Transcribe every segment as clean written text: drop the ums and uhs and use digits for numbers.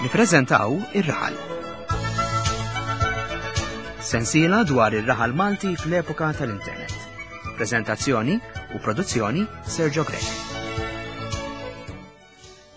Nippreżentaw Ir-Raħal. Sensiela dwar ir-raħal Malti fl-epoka tal-internet. Preżentazzjoni u produzzjoni Sergio Grech.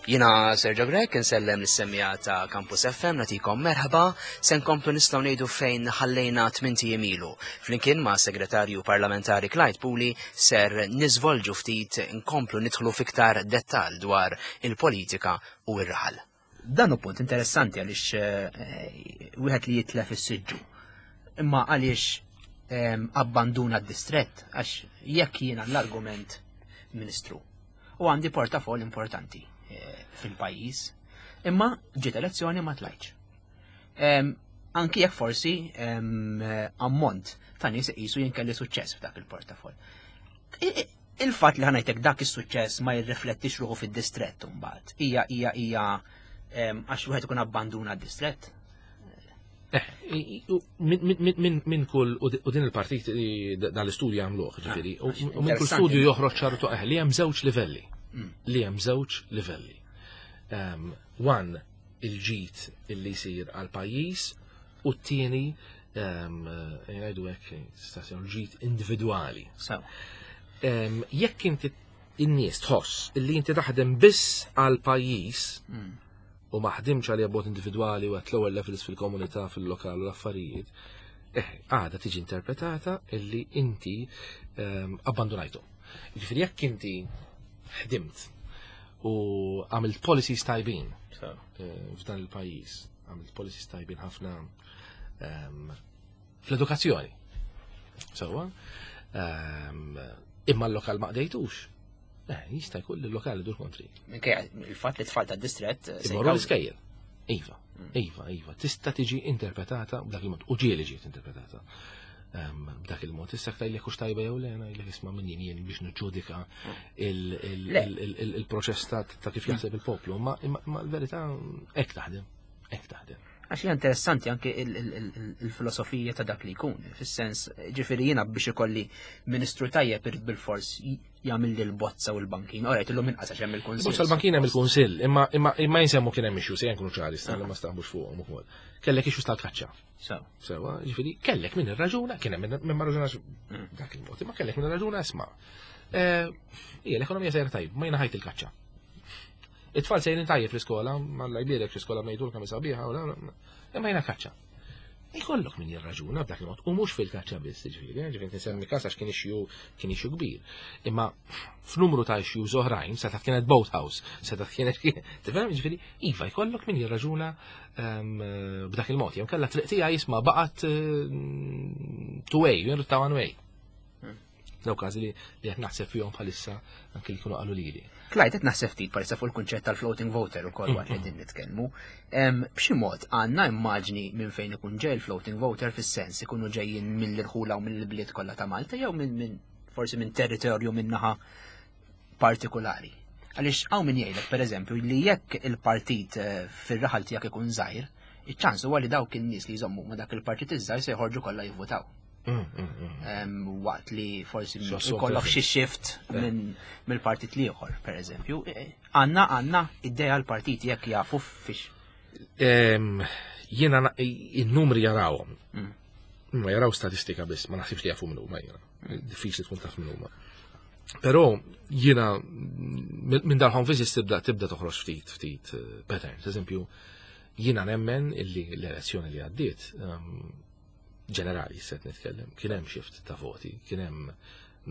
Jina Sergio Grech, insellem lis-semmija ta' Campus FM, natikom merħba, se nkomplu nistgħu ngħidu fejn ħallejna tmint ijiem ilu. Flimkien ma' Segretarju Parlamentari Clyde Puli ser niżvolġu ftit nkomplu nidħlu fiktar dettal dwar il-politika u r-raħal. Dan hu punt interessanti għaliex eh, wieħed li jitlef is-siġġu. Imma għaliex ehm, abbanduna d-distrett għax jekk jiena l-argument Ministru u għandi portafol importanti eh, fil-pajjiż. Imma ġiet elezzjoni ma tlajtx. Anki jekk forsi ammont ta' nies iqisu jien kelli suċċess f'dak il-portafol. Il-fatt li ħanajtek dak is-suċċess ma jirriflettix ruħu fid-distrett imbagħad. Hija hija hija għax wieħed ikun abbanduna d-distrett. Eh, minn kull, u din il-partit dan l-istudju għamluħ, ah, ġifiri, u minn kull studju joħroġ ċartu eh, li hemm żewġ livelli. Mm. Li hemm żewġ livelli. Ehm, one, il-ġid illi jsir għal pajjiż u t-tieni ehm, jgħidu hekk ġid individwali. Ehm, jekk inti in-nies tħoss illi inti taħdem biss għal pajjiż mm. u ma ħdimx għalija b'mod individwali u at lower levels fil-komunità, fil-lokal u l-affarijiet, eh, għada tiġi interpretata illi inti ehm, abbandonajtu. Ġifieri jekk inti ħdimt u għamilt policies tajbin eh, f'dan il-pajjiż, għamilt policies tajbin ħafna ehm, fl-edukazzjoni. Sewa, ehm, imma l-lokal ma qdejtux. Eh, jista' jkun li l-lokal idur kontri. Minkejja il-fatt li tfal tad-distrett eh, se jmorru l-iskejjel. Iva, mm. iva, iva, tista' tiġi interpretata b'dak il-mod, u ġieli ġiet interpretata ehm, b'dak il-mod. Issa ktaj li kux tajba jew le, ngħidlek isma' minn jien jien biex niġġudika mm. il-proċess ta' kif jaħseb il-poplu, ma l-verità hekk taħdem, hekk taħdem. Għax hija interessanti anke il-filosofija ta' dak li jkun, fis-sens ġifieri jiena biex ikolli ministru tajjeb irid bil-fors jagħmel li l-bozza u l-bankin. Orajt illum inqas għax hemm il-kunsill. Bozza l-bankin hemm il-kunsill, imma imma imma jinsemmu kien hemm issues, ejja nkunu ċari, sta ma staħbux fuqhom ukoll. Kellek issues tal-kaċċa. Sewa, ġifieri kellek min irraġuna, kien hemm min ma raġunax mm. dak il-mod, imma kellek min irraġuna isma'. Eh, hija l-ekonomija sejra tajb, ma jiena ħajt il-kaċċa. It-tfal sejrin tajjeb fl-iskola, ma l-jbirek fl-iskola ngħidulek kemm sabiħa, imma jiena kaċċa. Ikollok min jirraġuna b'dak il-mod, u mhux fil-kaċċa biss, ġifieri, eh, ġifieri nsemmi każ għax kien issue kien issue kbir. Imma f'numru ta' issues oħrajn, seta' kienet boathouse, seta' kienet tifhem, ġifieri, iva jkollok min jirraġuna ehm, b'dak il-mod. Jew kellha triq tiegħi jisma' baqgħet eh, two way, jien ta' one way. Daw każi li qed naħseb fihom bħalissa anke li kienu qalu lili. Clyde qed naħseb ftit bħalissa fuq il-kunċett tal-floating voter ukoll waqt li qegħdin nitkellmu. B'xi mod għandna immaġni minn fejn ikun ġej il-floating voter fis-sens ikunu ġejjin mill-irħula u mill-bliet kollha ta' Malta jew minn forsi minn territorju minn naħa partikolari. Għaliex hawn min jgħidlek pereżempju li jekk il-partit eh, fir-raħal tiegħek ikun żgħir, iċ-ċans huwa li dawk in-nies li jżommu ma' dak il-partit iż-żgħir se jħorġu kollha jivvutaw. Mm, mm, mm. Waqt li forsi jkollok xi shift eh. mill-partit l-ieħor, pereżempju. E, għandna għandna idea l-partit jekk jafu fiex. Jiena in-numri jarawhom. Ma jaraw statistika biss, ma naħsibx li jafu minnu ma jiena. Diffiċli tkun taf minnu ma. Però jiena minn dal-home visits tibda tibda toħroġ ftit ftit eh, patterns. Eżempju, jiena nemmen illi l-elezzjoni li għaddiet ġenerali set nitkellem, kien hemm shift ta' voti, kien hemm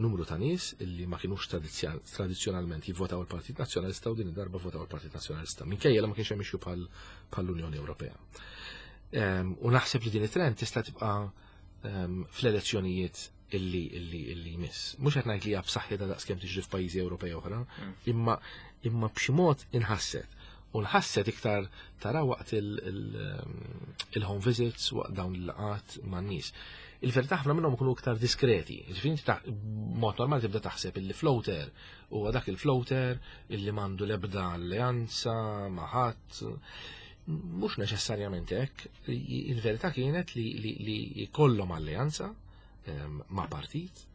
numru ta' nies illi ma kienux tradizzjonalment jivvotaw il-Partit Nazzjonalista u din id-darba votaw il-Partit Nazzjonalista. Minkejja li ma kienx hemm issue bħall-Unjoni Ewropea. Ehm, u naħseb li din it-trend tista' tibqa' ehm, fl-elezzjonijiet illi illi illi jmiss. Mhux qed ngħid li hija b'saħħitha daqskemm tiġri f'pajjiżi Ewropej oħra, mm. imma imma b'xi mod inħasset. U nħasset iktar tara waqt il-home visits, waqt dawn il-laqat man-nies. Il-verità ħafna minnhom ikunu iktar diskreti. Ġifieri inti mod normali tibda taħseb illi floater huwa dak il-floater illi m'għandu l-ebda alleanza ma' ħadd. Mhux neċessarjament hekk. Il-verità kienet li jkollhom alleanza ehm, ma' partit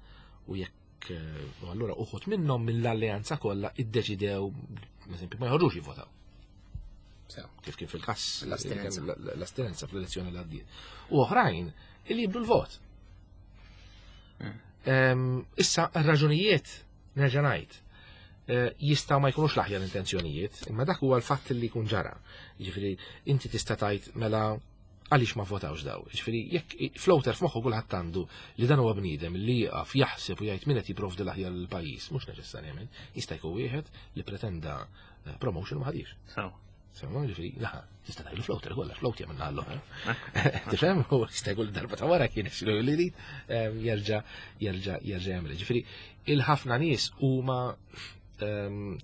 u jekk eh, u allura uħut minnhom mill-alleanza kollha iddeċidew, eżempju, ma jħorġux jivvotaw. Kif kien fil-każ l-astinenza fl-elezzjoni l għaddiet. U oħrajn illi jibdu l-vot. Issa, raġunijiet nerġa' ngħid, eh, jistgħu ma jkunux l-aħjar intenzjonijiet, imma dak huwa l-fatt li jkun ġara. Jiġifieri inti tista' tgħid mela għaliex ma votawx daw. Jiġifieri jekk floater f'moħħu kulħadd għandu li dan huwa bniedem li jieqaf jaħseb u jgħid min qed jipprovdi l-aħjar lill-pajjiż, mhux neċessarjament, jista' jkun wieħed li pretenda eh, promotion ma ħadix. Semma ġifiri, laħa, tista' tgħidu floater kollha, float jagħmel l oħra. Tifhem? U jista' jkun darba ta' wara kien isiru li li ehm, jerġa' jerġa' jerġa' jagħmel. Ġifieri, il-ħafna nies huma ehm,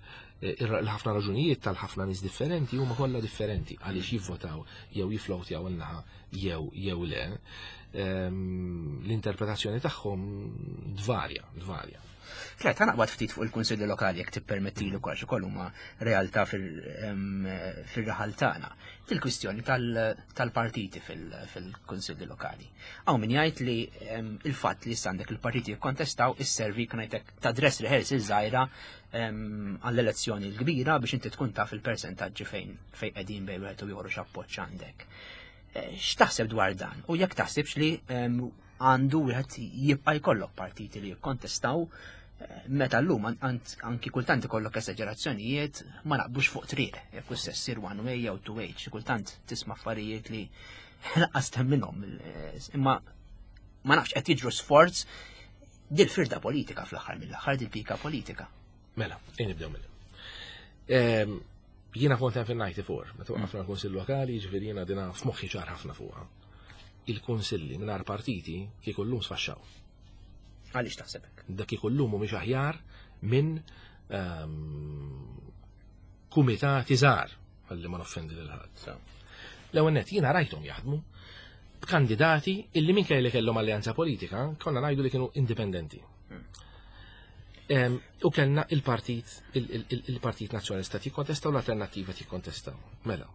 il-ħafna raġunijiet tal-ħafna nies differenti huma kollha differenti għaliex jivvotaw jew jiflowtjaw il-naħa jew jew le. Ehm, l-interpretazzjoni tagħhom dvarja, dvarja. Klet, ħa naqbad ftit fuq il-Kunsilli Lokali jekk tippermettili wkoll xi huma realtà fir-raħal tagħna. Til-kwistjoni tal-partiti fil-Kunsilli Lokali. Hawn min jgħid li il-fatt li issa għandek il-partiti jikkontestaw isservi ngħidlek ta' dress rehearsal żgħira għall-elezzjoni l-kbira biex inti tkun taf il-persentaġġi fejn fejn qegħdin bejn wieħed u ieħor x'appoġġ għandek. Eh, x'taħseb dwar dan? U jekk taħsibx li għandu wieħed jibqa' jkollok partiti li jikkontestaw eh, meta llum anki kultant ikollok esaġerazzjonijiet ma naqbux fuq triq, jekk hux se ssir one way jew two way, xi kultant tisma' affarijiet li lanqas temminhom. Eh, imma ma nafx qed jiġru sforz dil-firda politika fl-aħħar mill-aħħar dil-pika politika. Mela, ejn nibdew mill. Ehm, jiena kont hemm fil-94, meta waqafna l-Kunsill Lokali, ġifieri jiena dina f'moħħi ċar ħafna fuqha. Il-kunsilli mingħajr partiti kieku llum sfaxxaw. Għaliex taħseb hekk? Dak kieku llum mhumiex aħjar minn ehm, kumitati żgħar għalli ma noffendi lil ħadd. L-ewwel nett jiena rajthom jaħdmu b'kandidati illi minkejja li kellhom alleanza politika, konna ngħidu li kienu indipendenti. U kellna il-partit il-Partit Nazzjonalista tikkontesta u l-Alternattiva tikkontesta. Mela.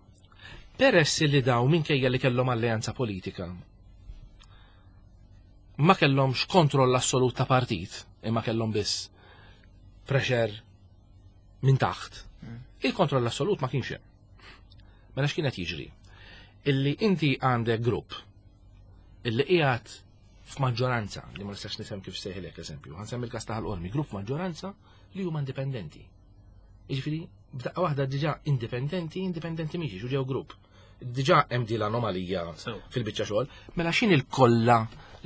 Peress li daw minkejja li kellhom alleanza politika ma kellhomx kontroll assolut ta' partit, imma kellhom biss pressure minn taħt. Mm. Il-kontroll assolut ma kienx hemm. Mela x'kien qed jiġri? Illi inti għandek grupp illi qiegħed f'maġġoranza, li ma nistax nifhem kif sejħilek eżempju, ħansemmi l-każ ta' Qormi, grupp f'maġġoranza li huma indipendenti. Jiġifieri, b'daqqa waħda diġà indipendenti, indipendenti mhix u ġew grupp. Diġà hemm din l-anomalija fil-biċċa xogħol, mela x'in il-kollha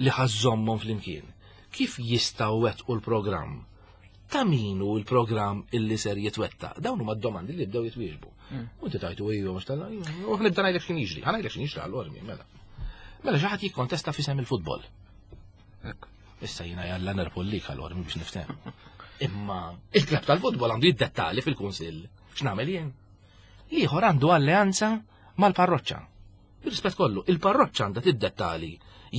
li ħażżommhom flimkien? Kif jistgħu wettqu l-programm? Ta' min hu l-programm illi ser jitwettaq? Dawn huma d-domandi li bdew jitwieġbu. Mm. U inti tajtu ejju mhux tal u ħnibda ngħidlek x'kien jiġri, ħa ngħidlek x'kien jiġri għall-ormi, mela. Mela xi ħadd jikkontesta f'isem il-futbol. Issa jiena jalla nerpu lik għall-ormi biex niftem. Imma il-klab tal-futbol għandu jiddettali fil-kunsill. X'nagħmel jien? L-ieħor għandu alleanza mal-parroċċa. Bir-rispett kollu, il-parroċċa għandha tiddettali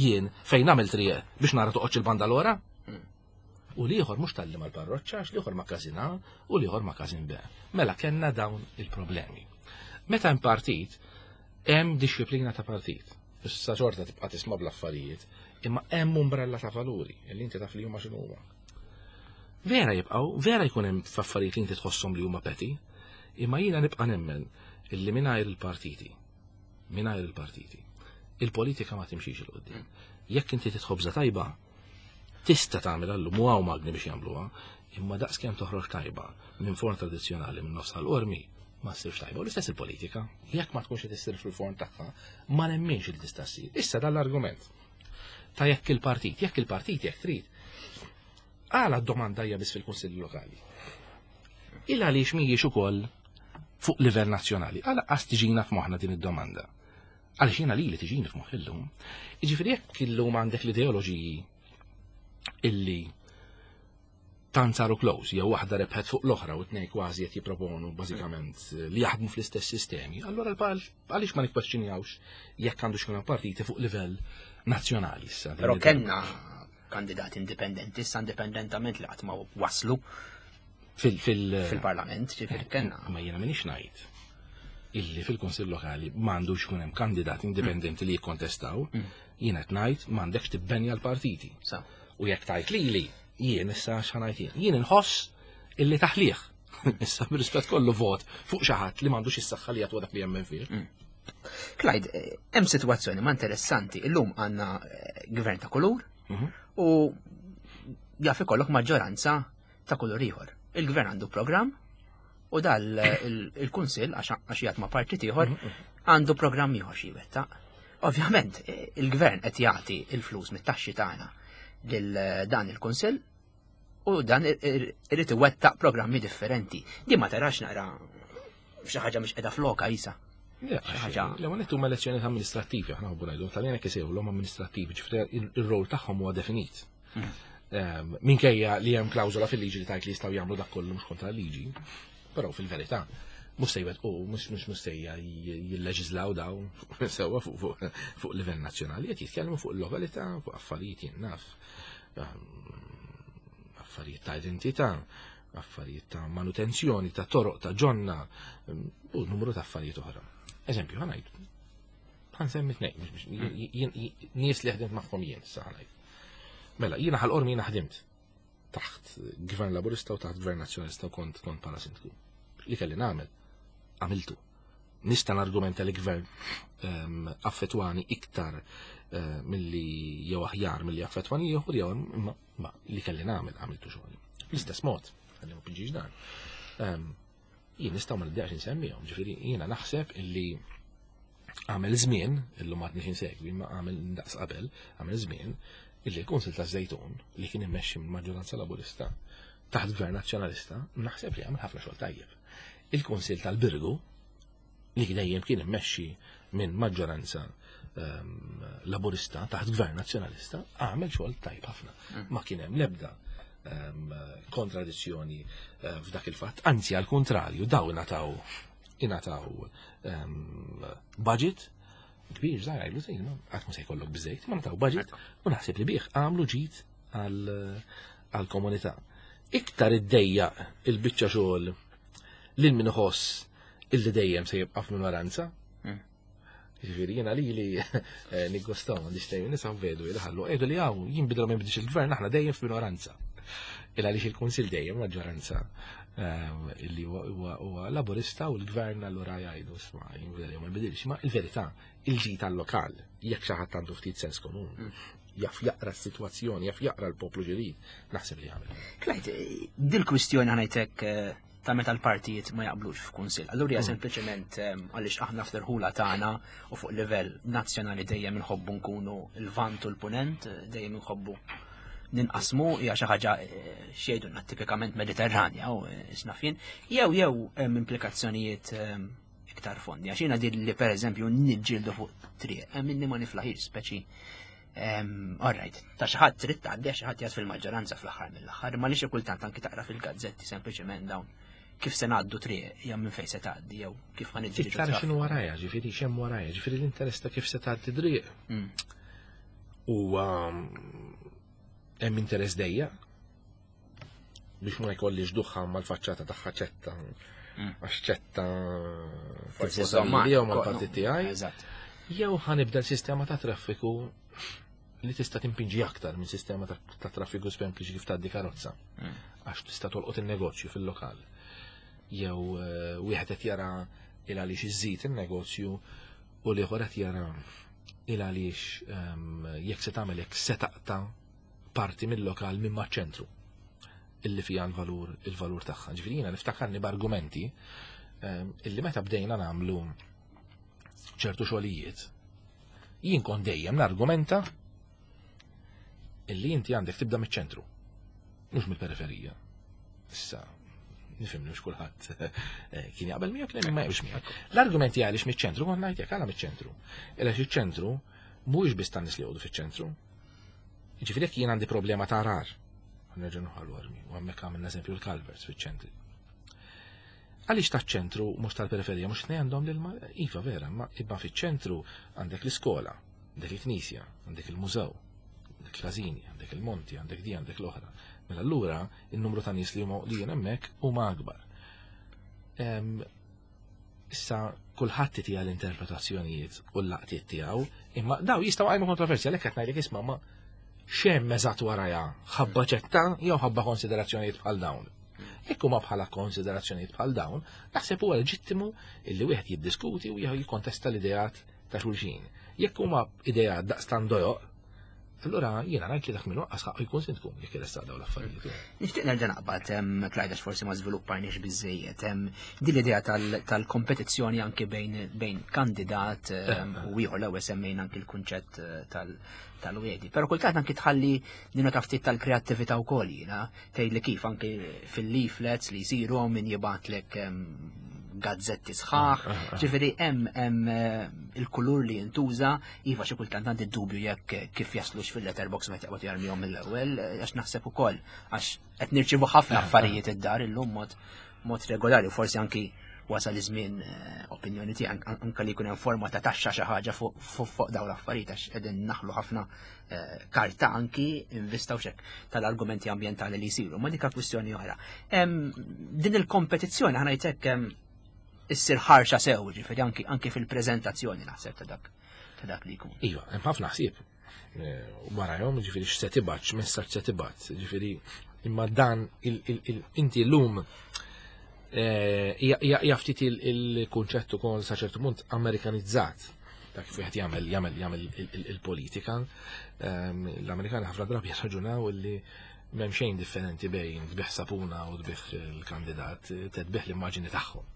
jien fejn nagħmel triq biex nara toqgħodx il-banda l-ora. U l-ieħor mhux talli mal-parroċċa, għax l-ieħor ma' każin A u l-ieħor ma' każin B. Mela kellna dawn il-problemi. Meta hemm partit, hemm dixxiplina ta' partit. Issa xorta tibqa' tisma' bl-affarijiet, imma hemm umbrella ta' valuri li inti taf li huma x'inhu huma. Vera jibqgħu, vera jkun hemm f'affarijiet li inti tħosshom li huma petty, imma jiena nibqa' nemmen illi mingħajr il-partiti mingħajr il-partiti. Il-politika ma timxix 'il quddiem. Jekk inti titħobża tajba, Tista' tagħmilha llum u hawn magni biex jagħmluha, imma daqskemm toħroġ tajba minn forn tradizzjonali minn nofs Ħal Qormi ma ssirx tajba. U l-istess il-politika, jekk ma tkunx qed issir fil-forn tagħha, ma nemminx li tista' ssir. Issa dan l-argument ta' jekk il-partit, jekk il-partit jekk trid. Għala d-domanda hija biss fil-Kunsilli Lokali. Il għaliex mhijiex ukoll fuq livell nazzjonali. Għala qas tiġina f'moħħna din id-domanda. Għaliex jiena lili tiġini f'moħħi llum. Jiġifieri jekk illum għandek l-ideoloġiji illi tant saru close, jew waħda rebħet fuq l-oħra u tnej kważi qed jipproponu bażikament li jaħdmu fl-istess sistemi, allura għaliex ma nikkwestjonjawx jekk għandu xkun partiti fuq livell nazzjonali issa. Però kellna kandidati indipendenti, issa indipendentament li qatt ma waslu fil-parlament, ġifieri kellna. Ma jiena minix ngħid illi fil-Kunsill Lokali m'għandux ikun hemm kandidati indipendenti li jikkontestaw, mm. jien qed ngħid m'għandekx tibbenja l-partiti. U jekk tajt lili, jien issa x'ngħid jien. Jien inħoss illi taħlih. Issa bir-rispett kollu vot fuq xi ħadd li m'għandux is-saħħa li jagħtu dak li jemmen fih. Clyde, hemm sitwazzjoni ma interessanti. Illum għandna gvern ta' kulur u jaf ikollok maġġoranza ta' kulur ieħor. Il-gvern għandu programm u dal il-kunsill għax jgħat ma' partit ieħor għandu programm ieħor xi jwettaq. Ovvjament, il-gvern qed jagħti il-flus mit-taxxi tagħna lil dan il-kunsill u dan irid iwettaq programmi differenti. Di ma tarax naqra xi ħaġa mhix qiegħda floka isa. L-ewwel nett huma elezzjonijiet amministrattivi, aħna nħobbu ngħidu, tal hekk isejħulhom amministrattivi, ġifieri ir-rol tagħhom huwa definit. Minkejja li hemm klawżola fil-liġi li tgħid li jistgħu jagħmlu dak kollu mhux kontra l-liġi, però fil-verità mhux se jwettqu, mhux se jilleġislaw dawn sewwa fuq livell nazzjonali, qed jitkellmu fuq il-lokalità, fuq affarijiet jien naf, affarijiet ta' identità, affarijiet ta' manutenzjoni, ta' toroq, ta' ġonna, u numru ta' affarijiet oħra. Eżempju, ħa ngħid, ħa nsemmi tnejn, nies li ħdimt magħhom jien, issa ħa ngħid. Mela, jiena Ħal Qormi jiena ħdimt taħt gvern laburista u taħt gvern nazzjonalista u kont kont bħala sindku. Li kelli nagħmel, għamiltu. Nista' nargumenta li gvern affettwani iktar milli jew aħjar milli affettwani ieħor jew imma ma li kelli nagħmel għamiltu xogħol. L-istess mod, ħalli ma pinġix dan. Jien nistgħu ma nibdaqx insemmihom, ġifieri jiena naħseb illi għamel żmien, illum għadni insegwi, ma għamel daqs qabel, għamel żmien, illi l-Kunsil ta' Żejtun li kien immexxi minn maġġoranza laburista taħt gvern nazzjonalista, naħseb li għamel ħafna xogħol tajjeb. Il-Kunsil tal-Birgu li dejjem kien immexxi minn maġġoranza laburista taħt gvern nazzjonalista, għamel xogħol tajjeb ħafna. Ma kien hemm l-ebda kontradizzjoni f'dak il-fatt, anzi għal kontrarju daw ingħataw budget kbir żgħir għajlu żejn, qatt ma se jkollok biżejt, ma ngħataw budget u naħseb li bih għamlu ġid għall-komunità. Iktar iddejjaq il-biċċa xogħol lil min iħoss illi dejjem se jibqa' f'minoranza. Ġifieri jiena li li niggostaw m'għandix tejn nisa vedu li ħallu għedu li hawn jinbidlu ma jinbidlx il-gvern aħna dejjem f'minoranza. Il għaliex il-Kunsill dejjem maġġoranza illi huwa laburista u l-gvern allura jgħidu isma' jinbidel jew ma jinbidilx. Ma il-verità il-ġid tal-lokal jekk xi ħadd għandu ftit sens komun jaf jaqra s-sitwazzjoni, jaf jaqra l-poplu ġirid, naħseb li jagħmel. Clyde, dil-kwistjoni ħa ngħidlek ta' meta l-partijiet ma jaqblux f'kunsill. Allura hija sempliċement għaliex aħna fl-irħula tagħna u fuq livell nazzjonali dejjem inħobbu nkunu l-vant u l-punent, dejjem inħobbu ninqasmu, hija xi ħaġa xejdunna tipikament Mediterranja u x'naf jien, jew hemm implikazzjonijiet iktar fondi. Għax jiena din li pereżempju niġġieldu fuq triq, hemm inni ma niflaħix speċi. All right, ta' xi ħadd trid tgħaddi għax xi ħadd jgħid fil-maġġoranza fl-aħħar mill-aħħar, ma li xi kultant anki taqra fil-gazzetti sempliċement dawn kif se ngħaddu triq jew minn fejn se tgħaddi jew kif ħa niġġieldu Iktar traffiku. x'inhu warajja, ġifieri x'hemm warajja, ġifieri l-interess ta' kif se tgħaddi triq. U hemm interess dejja biex ma jkollix duħħa mal-faċċata tagħha ċetta. Għax ċetta Forsi tivvota żomma, lili jew mal-partit tiegħi. Eżatt. Jew ħa nibdel sistema ta' traffiku li tista' timpinġi aktar minn sistema ta' traffiku sempliċi kif tgħaddi karozza. Għax tista' tolqot in-negozju fil-lokal. Jew wieħed qed jara il għaliex iżid in-negozju u l-ieħor qed jara il għaliex jekk se tagħmel hekk se taqta' parti mill-lokal minn maċ-ċentru illi fija il-valur tagħha. Ġifieri jiena niftakarni b'argumenti illi meta bdejna nagħmlu ċertu xogħlijiet, jien kont dejjem nargumenta illi inti għandek tibda miċ-ċentru, mhux mill-periferija. Issa, nifhem li mhux kulħadd kien jaqbel miegħek, kien ma jaqbilx miegħek. L-argumenti għaliex miċ-ċentru kont ngħid jekk għala miċ-ċentru. Għaliex iċ-ċentru mhuwiex biss tan-nies li jgħodu fiċ-ċentru. Ġifieri jekk jien għandi problema ta' rar, nerġa' nħallu armi, u hemmhekk għamilna eżempju l-culverts fiċ-ċentri. Għaliex taċ-ċentru mhux tal-periferija, mhux tnejn għandhom l-ilma, iva vera, ma ibba fiċ-ċentru għandek l-iskola, għandek il-knisja, għandek il-mużew, għandek il-każini, għandek il-monti, għandek di, għandek l-oħra. Mela allura il-numru ta' nies li huma li jien hemmhekk huma akbar. Issa kulħadd tija l-interpretazzjonijiet u l-laqtiet tiegħu, imma daw jistgħu għajmu kontroversja għalhekk qed ngħidlek isma' ma x'hemm eżatt warajha, ħabba ċetta jew ħabba konsiderazzjonijiet bħal dawn. Jekk huma bħala konsiderazzjonijiet bħal dawn, naħseb huwa leġittimu illi wieħed jiddiskuti u jikkontesta l-ideat ta' xulxin. Jekk huma ideat daqstan dojoq, allura jiena ngħid li dak minnu qas ħaqqu jkun sindku jekk iressaq dawn l-affarijiet. Nixtieq nerġa' naqbad Clyde għax forsi ma żviluppajniex biżejjed din l-idea tal-kompetizzjoni anki bejn kandidat u ieħor l-ewwel semmejna anki l-kunċett eh, tal-wedi. Però kultant anki tħalli nina ftit tal-kreattività wkoll jiena tgħidli kif anki fil-leaflets li jsiru min jibgħatlek gazzetti sħaħ, ah, ah, ah. ġifieri hemm hemm eh, il-kulur li jintuża, iva xi kultant għandi dubju jekk kif jaslux fil-letterbox meta jaqbad jarmihom mill-ewwel, eh, għax naħseb ukoll għax qed nirċievu ħafna affarijiet id-dar illum mod mod regolari, forsi anki wasal iż-żmien eh, opinjoni tiegħi anke li jkun hemm forma ta' taxxa xi ħaġa fuq dawn l-affarijiet għax qegħdin naħlu ħafna eh, karta anki invista u xek tal-argumenti ambjentali li jsiru, ma dika kwistjoni oħra. Din il-kompetizzjoni ħana jtek issir ħarxa sew, ġifieri anki, anki fil-preżentazzjoni naħseb ta' dak ta' dak li jkun. Iva, hemm ħafna ħsieb eh, warajhom, ġifieri x'se tibgħat, x'messaġġ se tibgħat, ġifieri imma dan inti llum eh, hija ftit il-kunċett ukoll sa ċertu punt Amerikanizzat ta' kif wieħed jagħmel jagħmel jagħmel il-politika. Ehm, l-Amerikani ħafna drabi jirraġunaw li m'hemm xejn differenti bejn tbih sapuna u tbih il-kandidat, tbih l-immaġini tagħhom.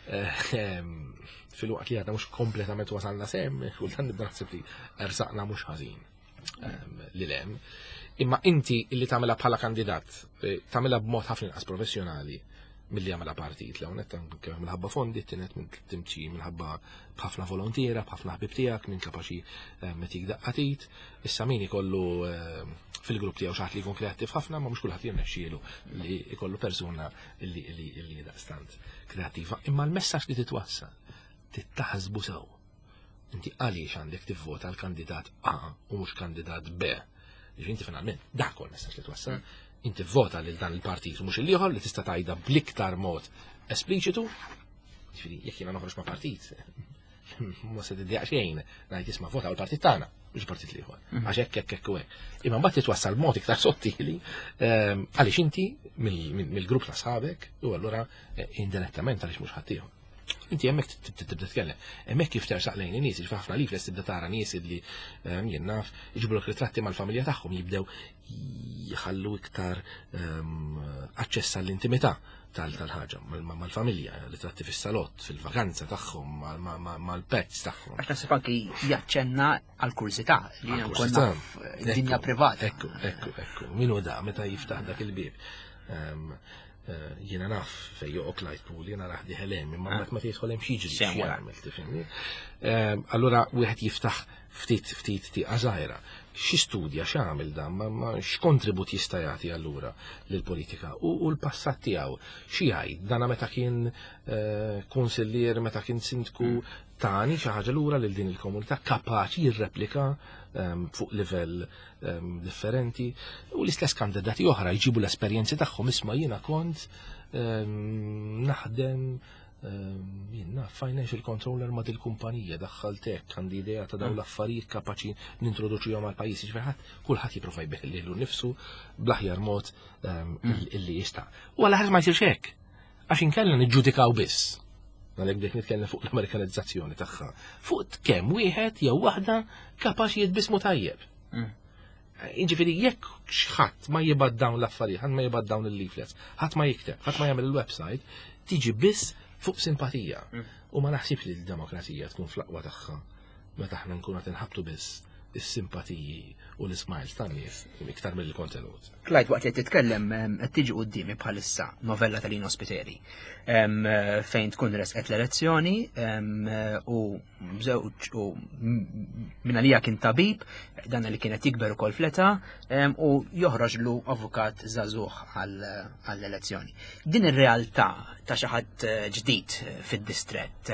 Ehm, fil-waqt li għadna mhux kompletament wasalna sem, kultant nibda naħseb li ersaqna mhux ħażin ehm, li lem. Imma inti li tagħmilha bħala kandidat, eh, tagħmilha b'mod ħafna inqas professjonali milli jagħmilha partit l hawnhekk anke minħabba fondi, tienet minn timxi minħabba b'ħafna volontiera, b'ħafna ħbib tiegħek, minn kapaċi eh, metik daqqatit. Issa min ikollu eh, fil-grupp tiegħu xi ħadd li jkun kreattiv ħafna, ma mhux kulħadd jirnexxielu li jkollu persuna li li daqstant kreattiva. Imma l-messaġġ li titwassal tittaħsbu sew. Inti għaliex għandek tivvota l-kandidat A u mhux kandidat B. Ġifieri inti finalment dak huwa l-messaġġ li twassal. Mm. Inti vota lil dan il-partit u mhux il-ieħor li tista' tgħidha bl-iktar mod espliċitu. Ġifieri jekk jiena noħroġ ma' partit, ma se tiddejaq xejn ngħid isma' vota l-partit tagħna, mhux il-partit l-ieħor. Mm. Għax hekk hekk hekk u hekk. Imma mbagħad titwassal b'mod iktar sottili ehm, għaliex inti mill-grupp ta' sħabek u allura eh, indirettament għaliex mhux ħaddieħor. Inti hemmhekk tibda titkellem. Hemmhekk kif tersaq lejn in-nies, ġifieri ħafna li flest tibda tara nies li ehm, jien naf iġiblok ritratti mal-familja tagħhom jibdew jħallu iktar ehm, aċċess għall-intimità tal-ħaġa, mal-familja, ritratti fis-salott, fil-vakanza tagħhom, mal-pets tagħhom. Għax naħseb anki jaċċenna għall-kursità li nkun dinja privata. Ekku, ekku, ekku. Min hu da meta jiftaħ dak il-bieb. Ehm, Eh, jiena naf fej joqgħod Clyde Pool, jiena raħ diħel hemm, imma mbagħad meta jidħol hemm xi jiġri jagħmel tifhimni. Eh, allura wieħed jiftaħ ftit ftit tieqa żgħira. Xi studja x'għamel dan, ma x'kontribut jista' jagħti allura lill-politika u l-passat tiegħu. Xi jgħid dana meta kien eh, kunsillier, meta kien sindku mm. tani xi ħaġa lura lil din il-komunità kapaċi jirreplika ehm, fuq livell Ehm, differenti u l-istess kandidati oħra jġibu l-esperjenzi tagħhom isma' jiena kont ehm, naħdem ehm, jiena financial controller ma' dil-kumpanija daħħaltek għandi idea ta' dawn mm. l-affarijiet kapaċi nintroduċihom għal pajjiż ġifieri ħadd kulħadd jipprova jbih lilu nnifsu bl-aħjar mod mm. illi jista'. U għal ħadd ma jsirx hekk. Għax inkella niġġudikaw biss. Għalhekk bdejt nitkellem fuq l-Amerikanizzazzjoni tagħha. Fuq kemm wieħed jew waħda kapaċi jitbismu tajjeb. Mm. Jiġifieri jekk x'ħadd ma jibgħat dawn l-affarijiet, ħadd ma jibgħat dawn il-leaflets, ħadd ma jikteb, ħadd ma jagħmel il-website, tiġi biss fuq simpatija. Mm. U ma naħsibx li l-demokrazija tkun fl-aqwa tagħha meta aħna nkunu qed inħabtu biss is-simpatiji u l-ismiles tan-nies iktar mill-kontenut. Clyde, waqt li titkellem qed tiġi quddiemi bħalissa novella ta' Lino Spiteri fejn tkun resqet l-elezzjoni u żewġ u minn għalija kien tabib, dan li kienet jikber ukoll fl-età u joħroġlu avukat żagħżugħ għall-elezzjoni. Din ir-realtà ta' xi ħadd eh, ġdid fid-distrett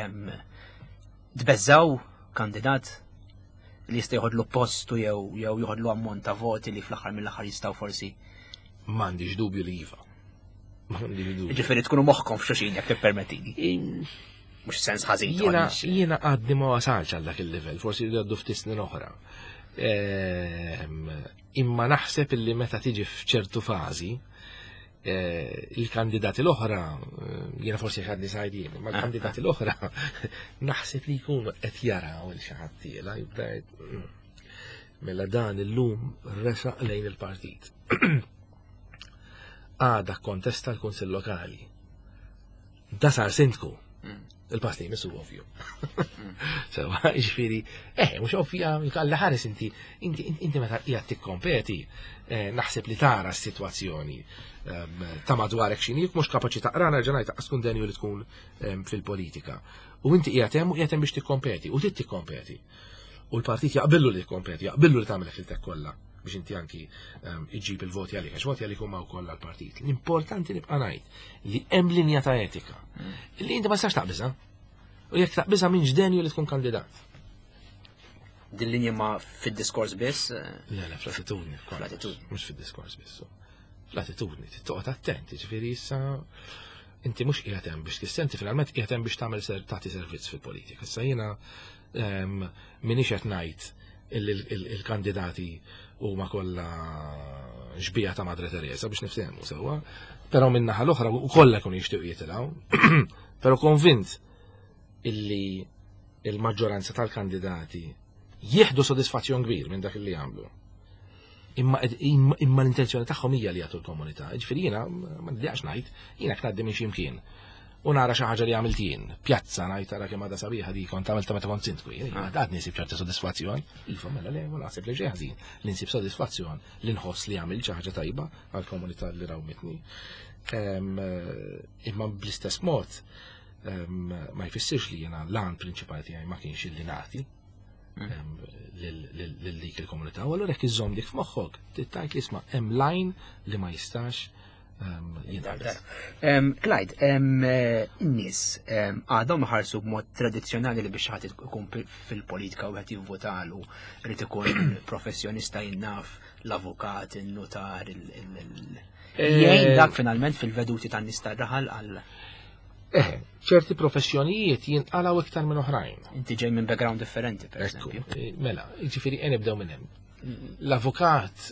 tbeżżaw kandidat li jista' joħodlu postu jew jew joħodlu ammont ta' voti li fl-aħħar mill-aħħar jistgħu forsi. M'għandix dubju li iva. M'għandix dubju. Ġifieri tkunu moħħkom f'xulxin jekk tippermettini. Mhux sens ħażin. Jiena jiena għadni ma wasalx għal dak il-livell, forsi jgħaddu ftit snin oħra. Ehm, imma naħseb illi meta tiġi f'ċertu fażi, Eh, il-kandidati l-oħra, eh, jiena forsi ħadni sajdin, ma l-kandidati l-oħra naħseb li jkunu qed jaraw il xi ħadd tiela jibda mela dan illum resaq lejn il-partit. Għada kontesta l-Kunsill Lokali. Da sar sindku. Il-pass li jmissu ovvju. Sewa, ġifieri, eh, mhux ovvja, għalla ħares inti, inti, inti meta qiegħed tikkompeti, eh, naħseb li tara s-sitwazzjoni ehm, ta' madwarek x'inhi, mhux kapaċi taqra nerġa' ngħid tkun denju li tkun ehm, fil-politika. U inti qiegħed hemm u qiegħed hemm biex tikkompeti, u trid tikkompeti. U l-partit jaqbillu li tikkompeti, jaqbillu li tagħmel ħiltek kollha biex inti anki ehm, iġġib il-voti għalik, għax voti għalik huma wkoll għall-partit. L-importanti nibqa' ngħid li hemm linja ta' etika li inti ma tistax taqbiżha. U jekk taqbiżha minn ġdenju li tkun kandidat. Din linja ma fid-diskors biss? Eh? Le, le, fl-attitudni. Fl-attitudni. Mhux fid-diskors biss. Fl-attitudni, toqgħod attent, ġifieri issa inti mhux qiegħed hemm biex tissenti finalment qiegħed hemm biex tagħmel tagħti servizz fil-politika. Issa jiena ehm, minix qed ngħid il-kandidati huma kollha xbija ta' Madre Teresa biex niftehmu sewwa, però min-naħa l-oħra u kollha jkunu jixtiequ jitilgħu. Però konvint illi il-maġġoranza tal-kandidati jieħdu sodisfazzjon kbir minn dak li jagħmlu. Imma, imma l-intenzjoni tagħhom hija li jagħtu l-komunità. Ġifieri jiena ma nidjaqx ngħid, jiena ngħaddi minn xi mkien u nara xi ħaġa li għamilt jien. Pjazza ngħid tara kemm għadha sabiħa di kont għamilta meta kont sindku jien. Ah. Għad nisib ċerta sodisfazzjon. Iva mela le, ma naħseb li xi ħażin li nsib sodisfazzjon li nħoss li għamilt xi ħaġa tajba għall-komunità li rawmitni. Eh, imma bl-istess mod ma jfissirx li jiena l-għan prinċipali tiegħi ma kienx illi nagħti mm. lil dik il-komunità. U allura jekk iżżomm dik f'moħħok, tittajt li isma' hemm lajn li ma jistax jinqabeż. Clyde, eh, in-nies għadhom ħarsu b'mod tradizzjonali li biex ħadd ikun fil-politika u qed jivvotalu irid ikun professjonista jinnaf l-avukat, in-notar, il- eh, Jgħin dak finalment fil-veduti tan-nies tar-raħal għal Eh, ċerti professjonijiet jinqalaw iktar minn oħrajn. Inti ġej minn background differenti, per eżempju. Eh, mela, ġifieri nibdew minn hemm. L-avukat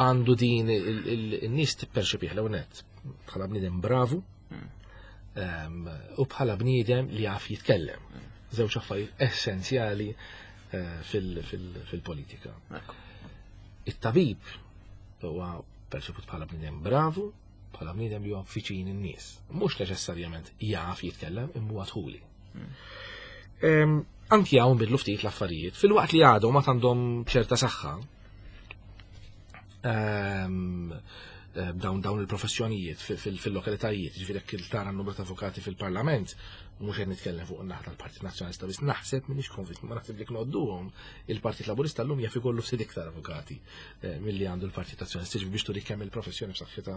għandu din il-nies tipperċepih l net bħala bniedem bravu hmm. u bħala bniedem li jaf jitkellem. Hmm. Żewġ affarijiet essenzjali eh, fil-politika. It-tabib huwa perċeput bħala bniedem bravu, bħala bniedem li huwa viċin in-nies. Mhux neċessarjament jaf jitkellem imma huwa tħuli. Hmm. Anki hawn bidlu ftit l-affarijiet, fil-waqt li għadhom ma għandhom ċerta saħħa, ehm, eh, dawn dawn il-professjonijiet fil-lokalitajiet, ġifieri jekk tara n-numru ta' avukati fil-Parlament, mhux qed nitkellem fuq in-naħa tal-Partit Nazzjonalista biss naħseb m'iniex konvint, ma naħseb li knodduhom il-Partit Laburista llum jaf ikollu ftit iktar avukati eh, milli għandu l-Partit Nazzjonalista biex turi kemm il-professjoni b'saħħitha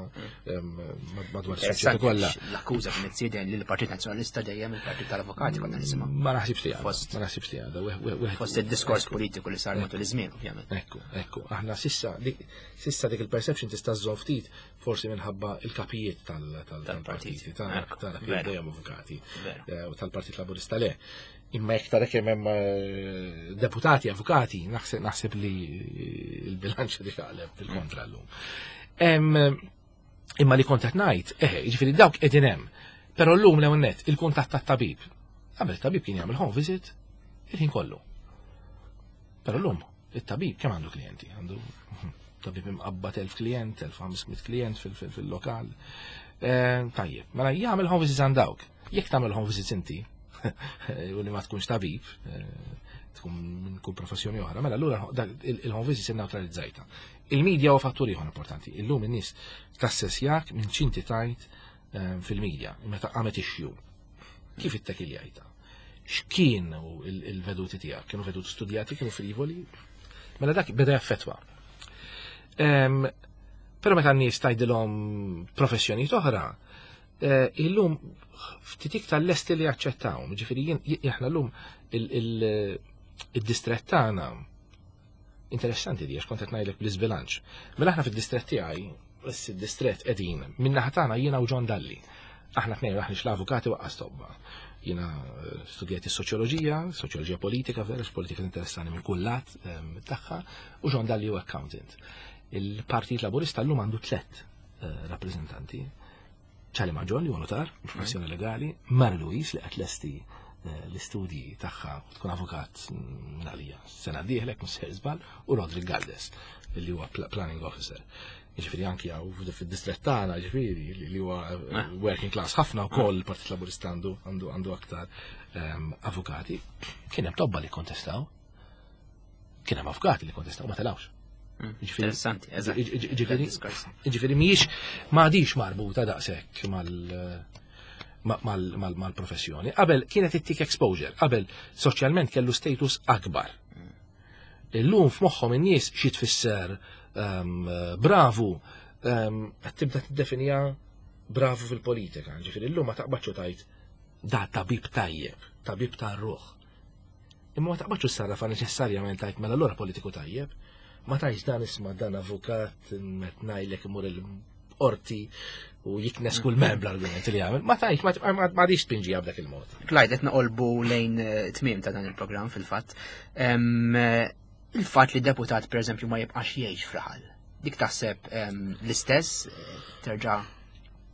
madwar is-soċjetà kollha. L-akkuża kienet sieden li l-Partit Nazzjonalista dejjem il-Partit tal-Avukati konna nisimgħu. Ma naħsibx li għadha. Ma naħsibx li għadha. Fost id-diskors politiku li sar matul iż-żmien, ovvjament. Ekku, ekku. Aħna sissa sissa dik il-perception tista' żżomm ftit forsi minħabba il-kapijiet tal-partiti, tal-kapijiet dejjem avukati eh, u tal-Partit Laburista le. Imma jekk tara kemm hemm eh, deputati, avukati, naħseb naħseb li l-bilanċ li taqleb fil-kontra llum. Imma li kont qed ngħid, eh, jiġifieri dawk qegħdin hemm. Però llum l net il-kuntatt tat-tabib. Qabel tabib kien jagħmel home visit il-ħin kollu. Però llum it-tabib kemm għandu klijenti? Għandu tabib imqabbad 1000 klient, 1500 klient fil-lokal. Eh, tajjeb, mela jagħmel home visits għand dawk. Jekk tagħmel home visits inti, u li ma tkunx tabib, eh, tkun minn kull professjoni oħra, mela allura il-home visits inneutralizzajta. Il-medja huwa fattur ieħor importanti. Illum in-nies tassessjak minn x'inti tajt eh, fil-medja, meta qamet issue. Kif ittekiljajta? X'kien il-veduti tiegħek? Kienu veduti studjati, kienu frivoli? Mela dak beda jaffetwa. Però meta n-nies tgħidilhom professjonijiet oħra, eh, illum ftit iktar lesti li jaċċettawhom. Ġifieri aħna llum il-distret tagħna interessanti di għax kont qed ngħidlek bl-iżbilanċ. Mela aħna fid-distret tiegħi, id-distret qegħdin, min-naħa tagħna jiena u John Dalli. Aħna tnejn aħna l-avukati waqqas tobba. Jiena eh, studjajt is-soċjoloġija, soċjoloġija politika, vera politika interessani minn kull lat ehm, tagħha, u John Dalli u accountant. Il-Partit Laburista llum għandu tlet. rappreżentanti. Charlie Mangion li huwa notar, professjoni legali, Mary Louise li qed lesti l-istudji tagħha u tkun avukat għalija sena dieħlek mhux se żball, u Roderick Galdes li huwa planning officer. Jiġifieri anki hawn fid-distrett tagħna, jiġifieri li huwa working class ħafna wkoll il-Partit Laburista għandu aktar avukati. Kien hemm tobba li kontestaw. Kien hemm avukati li kontestaw ma telawx. Interessanti, eżatt. Jiġifieri mhijiex m'għadix marbuta daqshekk mal-professjoni. Qabel kienet ittik exposure, qabel soċjalment kellu status akbar. Illum f'moħħhom in-nies xi tfisser bravu qed tibda tiddefinija bravu fil-politika. Ġifieri llum ma taqbadx u tgħid da tabib tajjeb, tabib tar-ruħ. Imma ma taqbadx u ssarrafa neċessarjament tgħid mela allura politiku tajjeb. Ma tgħidx dan isma' dan avukat qed ngħidlek imur il-qorti u jiknes kull mem bl-argument li jagħmel. Ma tgħidx, ma għadix tpinġiha b'dak il-mod. Clyde, qed noqolbu lejn tmiem ta' dan il-programm fil-fatt. Il-fatt li deputat pereżempju ma jibqax jgħix f'raħal. Dik taħseb l-istess terġa'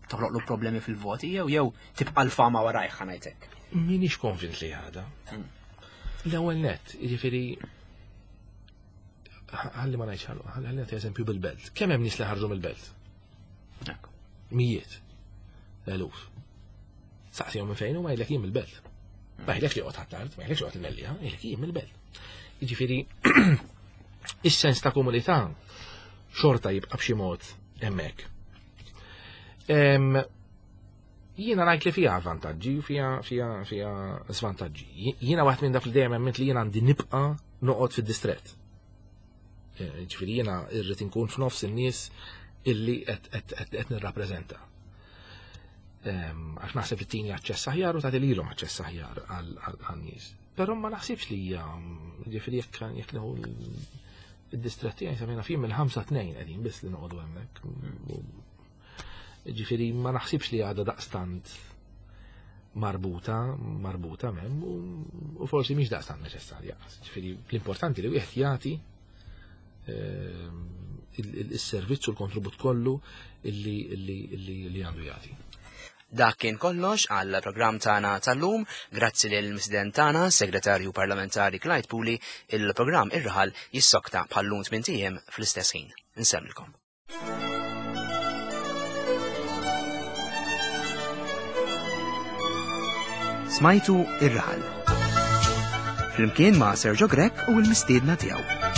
toħloqlu problemi fil-voti jew tibqa' l-fama warajh ħa ngħidlek. Minix konvint li għada. L-ewwel nett, jiġifieri ħalli ma ngħidx ħalli nagħti eżempju bil-belt. Kemm hemm nies li ħarġu mill-belt? Mijiet. Eluf. Saqsihom minn fejn huma jgħidlek jien mill-belt. Ma jgħidlek li joqgħod Ħ'Attard, ma jgħidlek joqgħod il-Mellieħa, jgħidlek jien mill-belt. Jiġifieri is-sens ta' komunità xorta jibqa' b'xi mod hemmhekk. Jiena ngħid li fiha vantaġġi u fiha svantaġġi. Jiena waħed minn dak li dejjem emmint li jiena għandi nibqa' noqgħod fid-distrett. Ġifieri jiena rrid inkun f'nofs in-nies illi qed nirrappreżenta. Għax naħseb li tini aċċess aħjar u tagħti lilhom aċċess aħjar għan-nies. Però ma naħsibx li hija, ġifieri jekk nieħu id-distrett tiegħi semmejna fih mill-5 2 qegħdin biss li noqogħdu hemmhekk. Ġifieri ma naħsibx li għadha daqstant marbuta mem u forsi mhix daqstant neċessarja. Ġifieri l-importanti li wieħed jagħti il-servizz u l-kontribut kollu illi għandu jagħti. Dak kien kollox għal programm tagħna tal-lum. Grazzi lil mistieden tagħna, Segretarju Parlamentari Clyde Puli, il-programm Ir-Raħal jissokta bħal-lum tmien ijiem fl-istess ħin. Insellmilkom. Smajtu Ir-Raħal. Flimkien ma' Sergio Grech u l-mistiedna tiegħu.